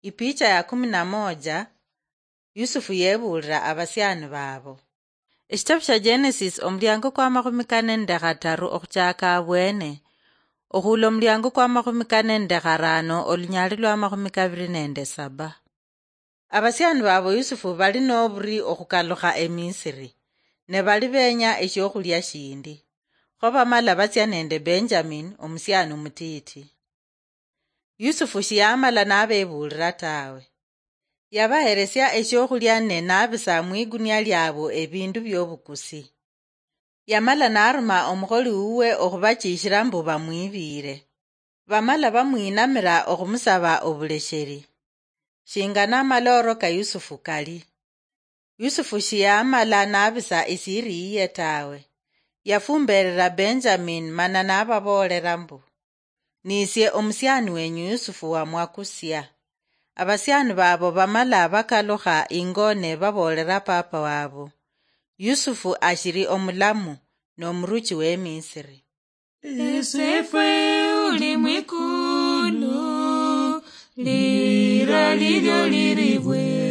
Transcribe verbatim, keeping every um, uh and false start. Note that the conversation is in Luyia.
Ipicha ya kumi na moja. Yusufu yebuulira abasiani baabo. Ekitabu kya Genesis, omulyango kwa makhumi kane nende khataru okhuchaaka abwene, okhuula omulyango kwa makhumi kane nende kharaano, olunyaali lwa makhumi kabiri nende saba. Abasiani baabo Yusufu bali noburi okhukalukha eMisiri, ne bali benya esyokhulia shindi. Kho bamala batsia nende Benjamin, omusiani omutiiti. Yusufu shiyamala nabebuulira tawe. Yabaheresia esyokhulia ne nabisa mwigunia lyabo ebindu byobukusi. Yamala naruma omukholi wuwe okhubachishira mbu bamwibiire. Bamala bamwinamira okhumusaba obulesheri. Shinga namaloro ka Yusufu kali. Yusufu shiyamala nabisa isiri yiye tawe. Yafumberera Benjamin mana nababoolera mbu, "Nisie omusiani wenyu Yusufu wamwakusia." Abasiani baabo bamala bakalukha ingo ne baboolera papa wabo, "Yusufu ashiri omulamu, nomuruchi weMisiri." Esefwe uli mwikulu, lira lilyo liribwe.